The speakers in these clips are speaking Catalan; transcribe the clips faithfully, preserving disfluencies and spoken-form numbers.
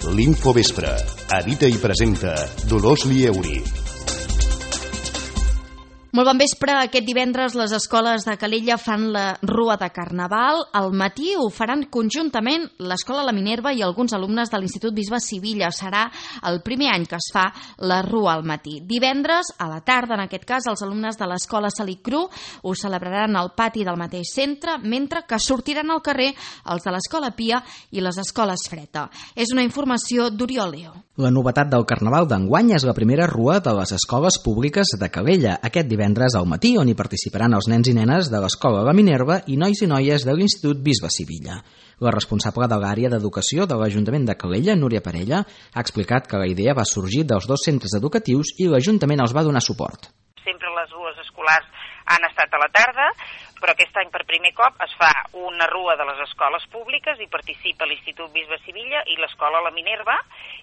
L'Infovespre. Edita i presenta Dolors Lieuri. Molt bon vespre. Aquest divendres les escoles de Calella fan la Rua de Carnaval. Al matí ho faran conjuntament l'Escola La Minerva i alguns alumnes de l'Institut Bisbe Sivilla. Serà el primer any que es fa la Rua al matí. Divendres, a la tarda, en aquest cas, els alumnes de l'Escola Salí Cru ho celebraran al pati del mateix centre, mentre que sortiran al carrer els de l'Escola Pia i les escoles Freta. És una informació d'Oriol Leo. La novetat del Carnaval d'enguany és la primera Rua de les escoles públiques de Calella, aquest divendres al matí, on hi participaran els nens i nenes de l'Escola La Minerva i nois i noies de l'Institut Bisbe Sivilla. La responsable de l'àrea d'educació de l'Ajuntament de Calella, Núria Parella, ha explicat que la idea va sorgir dels dos centres educatius i l'Ajuntament els va donar suport. Sempre les rues escolars han estat a la tarda, però aquest any per primer cop es fa una rua de les escoles públiques i participa l'Institut Bisbe Sivilla i l'Escola La Minerva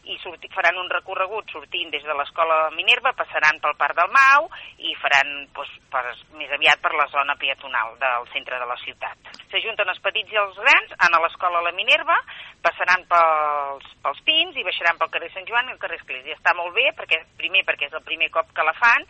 i sorti, faran un recorregut sortint des de l'Escola La Minerva, passaran pel Parc del Mau i faran doncs, per, més aviat per la zona peatonal del centre de la ciutat. S'ajunten els petits i els grans, a l'Escola La Minerva, passaran pels, pels Pins i baixaran pel carrer Sant Joan i el carrer Església. Està molt bé, perquè primer perquè és el primer cop que la fan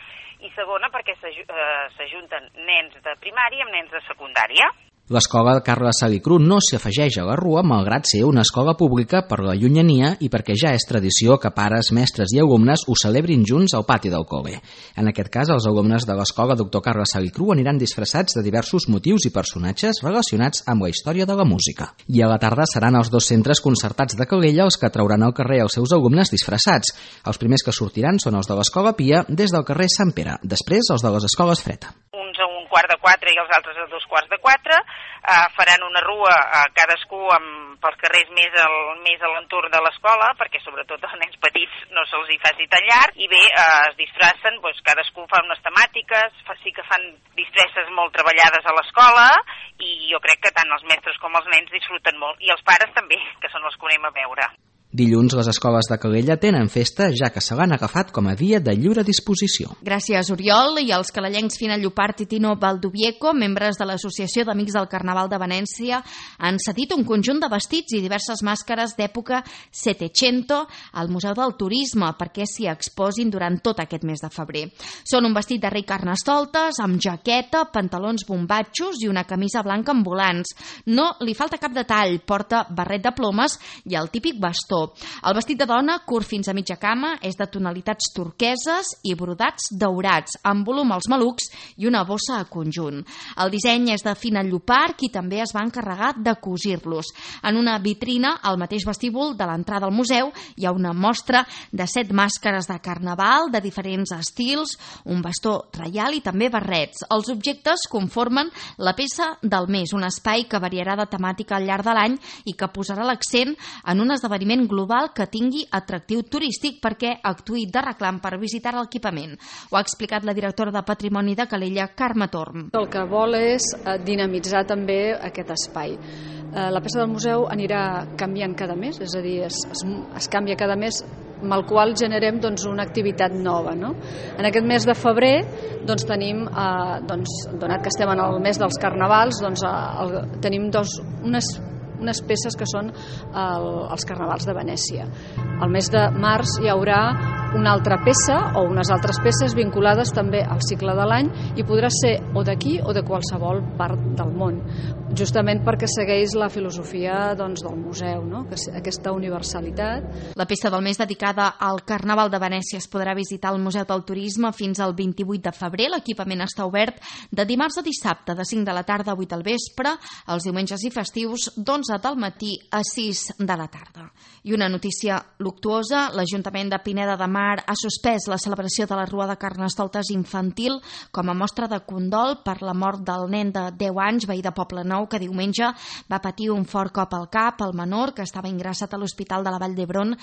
i segona perquè s'ajunten nens de primària amb nens de secundària. L'escola Carles Salí Cru no s'afegeix a la Rua, malgrat ser una escola pública per la llunyania i perquè ja és tradició que pares, mestres i alumnes ho celebrin junts al pati del col·le. En aquest cas, els alumnes de l'escola Doctor Carles Salí Cru aniran disfressats de diversos motius i personatges relacionats amb la història de la música. I a la tarda seran els dos centres concertats de Calella els que trauran al carrer els seus alumnes disfressats. Els primers que sortiran són els de l'Escola Pia des del carrer Sant Pere, després els de les escoles Freta. Uns a un quart de quatre i els altres a dos quarts de quatre, eh, faran una rua eh, cadascú amb, pels carrers més, al, més a l'entorn de l'escola, perquè sobretot als nens petits no se'ls hi faci tan llarg, i bé, eh, es disfressen, doncs, cadascú fa unes temàtiques, fa, sí que fan disfresses molt treballades a l'escola, i jo crec que tant els mestres com els nens disfruten molt, i els pares també, que són els que anem a veure. Dilluns les escoles de Calella tenen festa, ja que se l'han agafat com a dia de lliure disposició. Gràcies, Oriol. I els calellencs Fina Llopart i Tino Valdovieco, membres de l'Associació d'Amics del Carnaval de Venècia, han cedit un conjunt de vestits i diverses màscares d'època Settecento al Museu del Turisme perquè s'hi exposin durant tot aquest mes de febrer. Són un vestit de rei Carnestoltes, amb jaqueta, pantalons bombatxos i una camisa blanca amb volants. No li falta cap detall, porta barret de plomes i el típic bastó. El vestit de dona, curt fins a mitja cama, és de tonalitats turqueses i brodats daurats, amb volum als malucs i una bossa a conjunt. El disseny és de Fina Llopart, qui també es va encarregar de cosir-los. En una vitrina, al mateix vestíbul de l'entrada al museu, hi ha una mostra de set màscares de carnaval de diferents estils, un bastó reial i també barrets. Els objectes conformen la peça del mes, un espai que variarà de temàtica al llarg de l'any i que posarà l'accent en un esdeveniment global que tingui atractiu turístic perquè actuï de reclam per visitar l'equipament. Ho ha explicat la directora de Patrimoni de Calella, Carme Torm. El que vol és dinamitzar també aquest espai. La peça del museu anirà canviant cada mes, és a dir, es, es, es canvia cada mes, amb el qual generem doncs, una activitat nova. No? En aquest mes de febrer doncs, tenim, eh, doncs, donat que estem en el mes dels carnavals, doncs, el, tenim dos, unes unes peces que són el, els carnavals de Venècia. Al mes de març hi haurà una altra peça o unes altres peces vinculades també al cicle de l'any i podrà ser o d'aquí o de qualsevol part del món, justament perquè segueix la filosofia doncs, del museu, no? Que aquesta universalitat. La peça del mes dedicada al Carnaval de Venècia es podrà visitar al Museu del Turisme fins al vint-i-vuit de febrer. L'equipament està obert de dimarts a dissabte, de cinc de la tarda a vuit del vespre, els diumenges i festius d'onze del matí a sis de la tarda. I una notícia luctuosa, l'Ajuntament de Pineda de Mar ha suspès la celebració de la Rua de Carnestoltes infantil com a mostra de condol per la mort del nen de deu anys, veí de Poblenou, que diumenge va patir un fort cop al cap. El menor, que estava ingressat a l'Hospital de la Vall d'Hebron,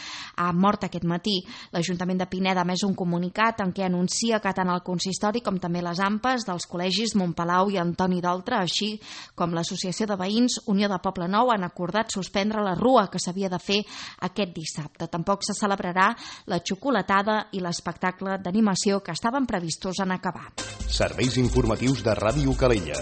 ha mort aquest matí. L'Ajuntament de Pineda ha emès un comunicat en què anuncia que tant el consistori com també les AMPAs dels col·legis Montpalau i Antoni d'Oltra, així com l'Associació de Veïns Unió de Poblenou, han acordat suspendre la Rua que s'havia de fer aquest dissabte. Tampoc se celebrarà la xocolatada i l'espectacle d'animació que estaven previstos en acabar. Serveis informatius de Ràdio Calella.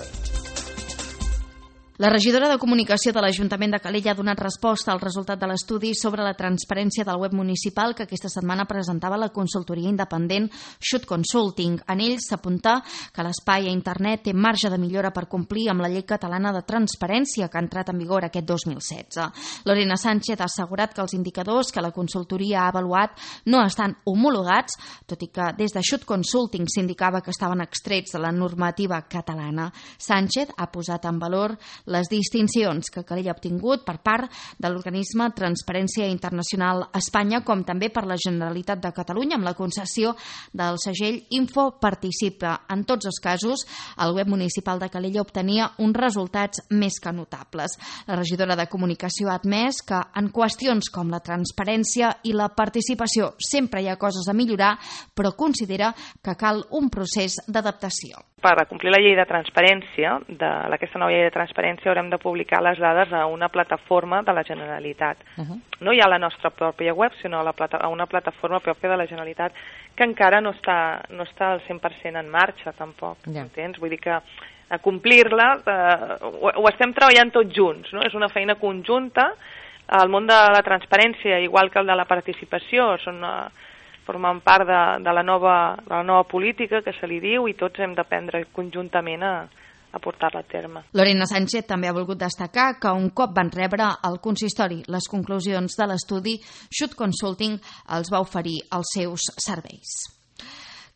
La regidora de Comunicació de l'Ajuntament de Calella ha donat resposta al resultat de l'estudi sobre la transparència del web municipal que aquesta setmana presentava la consultoria independent Shoot Consulting. En ell s'apunta que l'espai a internet té marge de millora per complir amb la llei catalana de transparència que ha entrat en vigor aquest dos mil setze. Lorena Sánchez ha assegurat que els indicadors que la consultoria ha avaluat no estan homologats, tot i que des de Shoot Consulting s'indicava que estaven extrets de la normativa catalana. Sánchez ha posat en valor les distincions que Calella ha obtingut per part de l'organisme Transparència Internacional Espanya, com també per la Generalitat de Catalunya amb la concessió del segell Info Participa. En tots els casos, el web municipal de Calella obtenia uns resultats més que notables. La regidora de Comunicació ha admès que en qüestions com la transparència i la participació sempre hi ha coses a millorar, però considera que cal un procés d'adaptació. Per complir la llei de transparència, d'aquesta nova llei de transparència, haurem de publicar les dades a una plataforma de la Generalitat. Uh-huh. No hi ha la nostra pròpia web, sinó a, la plata, a una plataforma pròpia de la Generalitat que encara no està, no està al cent per cent en marxa, tampoc. Yeah. Entens? Vull dir que a complir-la eh, ho, ho estem treballant tots junts, no? És una feina conjunta. El món de la transparència, igual que el de la participació, són... Eh, formen part de, de, la nova, de la nova política que se li diu i tots hem d'aprendre conjuntament a, a portar-la a terme. Lorena Sánchez també ha volgut destacar que un cop van rebre al consistori les conclusions de l'estudi, Shoot Consulting els va oferir els seus serveis.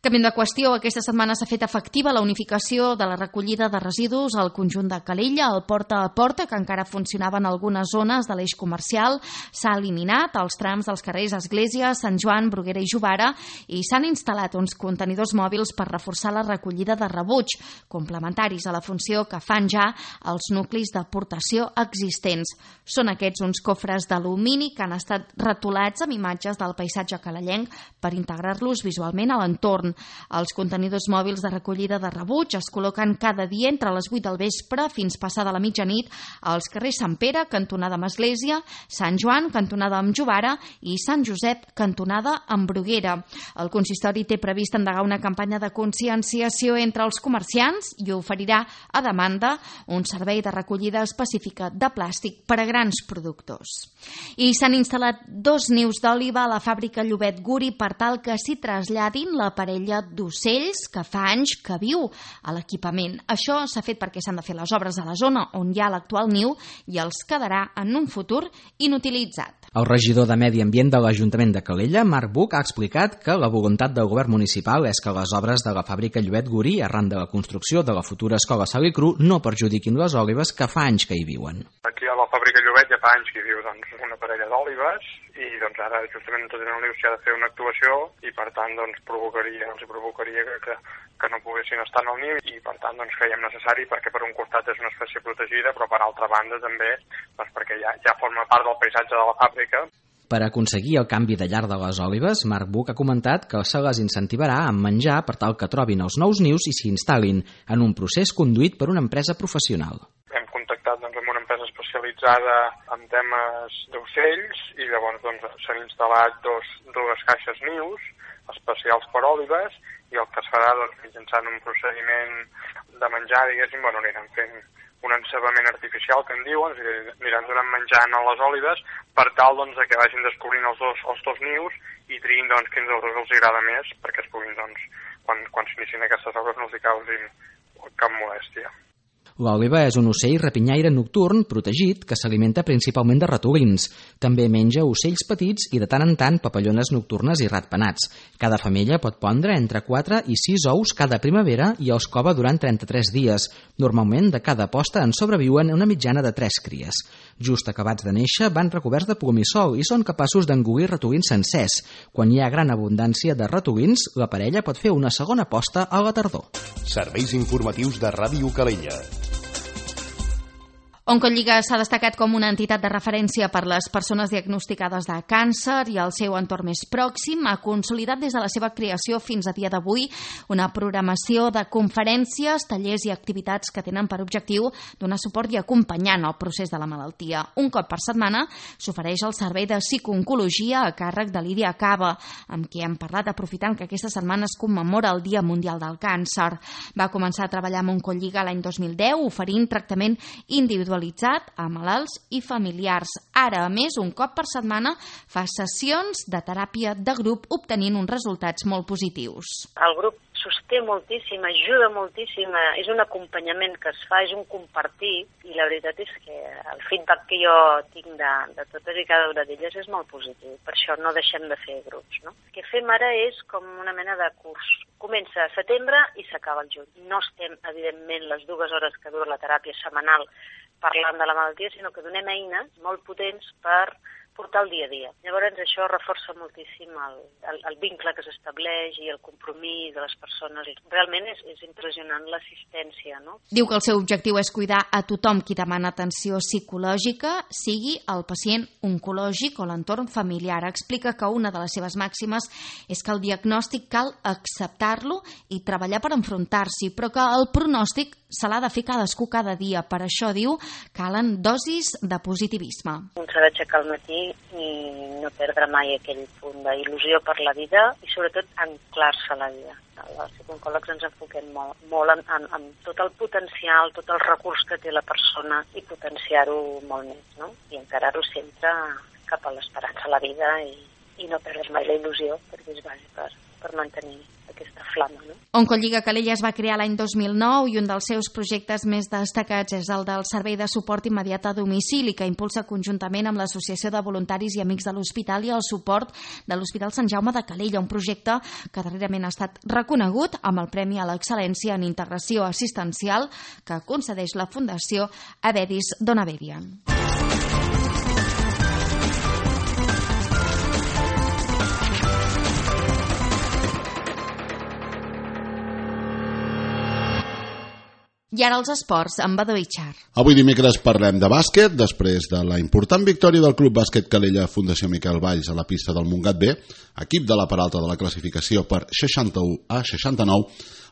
Canviant de qüestió, aquesta setmana s'ha fet efectiva la unificació de la recollida de residus al conjunt de Calella. El porta a porta, que encara funcionava en algunes zones de l'eix comercial, s'ha eliminat als trams dels carrers Església, Sant Joan, Bruguera i Jovara, i s'han instal·lat uns contenidors mòbils per reforçar la recollida de rebuig, complementaris a la funció que fan ja els nuclis d'aportació existents. Són aquests uns cofres d'alumini que han estat retolats amb imatges del paisatge calellenc per integrar-los visualment a l'entorn. Els contenidors mòbils de recollida de rebuig es col·loquen cada dia entre les vuit del vespre fins passada la mitjanit als carrers Sant Pere, cantonada amb Església, Sant Joan, cantonada amb Jovara i Sant Josep, cantonada amb Bruguera. El consistori té previst endegar una campanya de conscienciació entre els comerciants i oferirà a demanda un servei de recollida específica de plàstic per a grans productors. I s'han instal·lat dos nius d'òliba a la fàbrica Llobet Guri per tal que s'hi traslladin la parella d'ocells que fa anys que viu a l'equipament. Això s'ha fet perquè s'han de fer les obres a la zona on hi ha l'actual niu i els quedarà en un futur inutilitzat. El regidor de Medi Ambient de l'Ajuntament de Calella, Marc Buch, ha explicat que la voluntat del govern municipal és que les obres de la fàbrica Llobet Guri, arran de la construcció de la futura escola Salicru, no perjudiquin les òlibes que fa anys que hi viuen. Aquí a la fàbrica Llobet ja fa anys que hi viu doncs, una parella d'òlibes i doncs, ara justament tot en el niu s'hi ha de fer una actuació i per tant doncs, provocaria, els provocaria que, que, que no poguessin estar en el niu i per tant doncs, creiem necessari perquè per un costat és una espècie protegida però per altra banda també doncs, perquè ja, ja forma part del paisatge de la fàbrica. Per aconseguir el canvi de llar de les òlibes, Marc Buch ha comentat que se les incentivarà amb menjar per tal que trobin els nous nius i s'hi instal·lin en un procés conduït per una empresa professional. Hem contactat doncs, amb una empresa especialitzada en temes d'ocells i llavors doncs, s'han instal·lat dos, dues caixes nius especials per òlibes i el que es farà doncs, mitjançant un procediment de menjar, diguéssim, bueno, aniran fent un encebament artificial, que en diuen, aniran donant menjant a les òlibes per tal doncs, que vagin descobrint els dos, els dos nius i triïn doncs, quins dels dos els agrada més perquè es puguin, doncs, quan, quan s'inicien aquestes obres no els hi causin cap molèstia. L'òliba és un ocell rapinyaire nocturn protegit que s'alimenta principalment de ratolins. També menja ocells petits i de tant en tant papallones nocturnes i ratpenats. Cada femella pot pondre entre quatre i sis ous cada primavera i els cova durant trenta-tres dies. Normalment de cada posta en sobreviuen una mitjana de tres cries. Just acabats de néixer van recoberts de plomissol i són capaços d'engolir ratolins sencers. Quan hi ha gran abundància de ratolins, la parella pot fer una segona posta a la tardor. Serveis informatius de Ràdio Calella. Oncolliga s'ha destacat com una entitat de referència per les persones diagnosticades de càncer i el seu entorn més pròxim. Ha consolidat des de la seva creació fins a dia d'avui una programació de conferències, tallers i activitats que tenen per objectiu donar suport i acompanyar en el procés de la malaltia. Un cop per setmana s'ofereix el servei de psicooncologia a càrrec de Lídia Cava, amb qui hem parlat aprofitant que aquesta setmana es commemora el Dia Mundial del Càncer. Va començar a treballar amb Oncolliga l'any dos mil deu, oferint tractament individual individualitzat a malalts i familiars. Ara, a més, un cop per setmana fa sessions de teràpia de grup obtenint uns resultats molt positius. El grup sosté moltíssim, ajuda moltíssim, és un acompanyament que es fa, és un compartir, i la veritat és que el feedback que jo tinc de, de totes i cada una d'elles és molt positiu, per això no deixem de fer grups, no? El que fem ara és com una mena de curs. Comença a setembre i s'acaba el juny. No estem, evidentment, les dues hores que dura la teràpia setmanal parlant de la malaltia, sinó que donem eines molt potents per portar el dia a dia. Llavors això reforça moltíssim el, el, el vincle que s'estableix i el compromís de les persones. Realment és, és impressionant l'assistència, no? Diu que el seu objectiu és cuidar a tothom qui demana atenció psicològica, sigui el pacient oncològic o l'entorn familiar. Explica que una de les seves màximes és que el diagnòstic cal acceptar-lo i treballar per enfrontar-s'hi, però que el pronòstic se l'ha de fer cadascú cada dia. Per això, diu, calen dosis de positivisme. Un s'ha d'aixecar al matí i no perdre mai aquell punt d'il·lusió per la vida i sobretot anclar-se a la vida. Els psicòlegs ens enfoquem molt, molt en, en, en tot el potencial, tot el recurs que té la persona i potenciar-ho molt més, no? I encarar-ho sempre cap a l'esperança a la vida i, i no perdre mai la il·lusió, perquè és bàsic per, per mantenir aquesta flama, no? Oncolliga Calella es va crear l'any dos mil nou i un dels seus projectes més destacats és el del Servei de Suport Immediat a Domicili, que impulsa conjuntament amb l'Associació de Voluntaris i Amics de l'Hospital i el suport de l'Hospital Sant Jaume de Calella, un projecte que darrerament ha estat reconegut amb el Premi a l'Excel·lència en Integració Assistencial que concedeix la Fundació Avedis Donaverian. I ara els esports, amb Badó Itxar. Avui dimecres parlem de bàsquet, després de la important victòria del Club Bàsquet Calella Fundació Miquel Valls a la pista del Montgat B, equip de la part alta de la classificació per seixanta-u a seixanta-nou,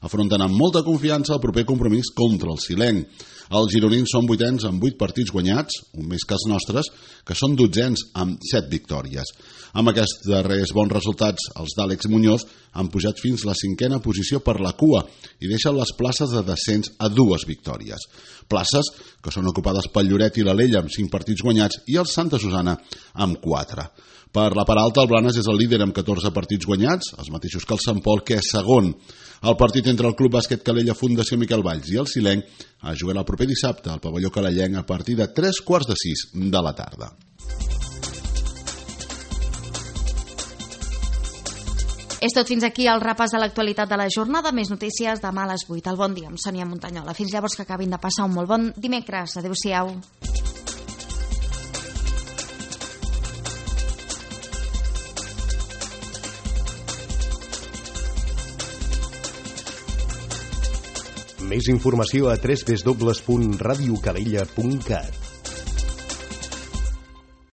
afronten amb molta confiança el proper compromís contra el Silenc. Els gironins són vuitens amb vuit partits guanyats, un més que els nostres, que són dotzens amb set victòries. Amb aquests darrers bons resultats, els d'Àlex Muñoz han pujat fins la cinquena posició per la cua i deixen les places de descens a dues victòries. Places que són ocupades pel Lloret i l'Alella amb cinc partits guanyats i el Santa Susana amb quatre. Per la part alta, el Blanes és el líder amb catorze partits guanyats, els mateixos que el Sant Pol, que és segon. El partit entre el Club Bàsquet Calella Fundació Miquel Valls i el Silenc es jugarà el proper dissabte al pavelló calellenc a partir de tres quarts de sis de la tarda. És tot fins aquí el repàs de l'actualitat de la jornada. Més notícies demà a les vuit. El bon dia amb Sònia Montanyola. Fins llavors, que acabin de passar un molt bon dimecres. Adéu-siau. Més informació a w w w punt radio calella punt cat.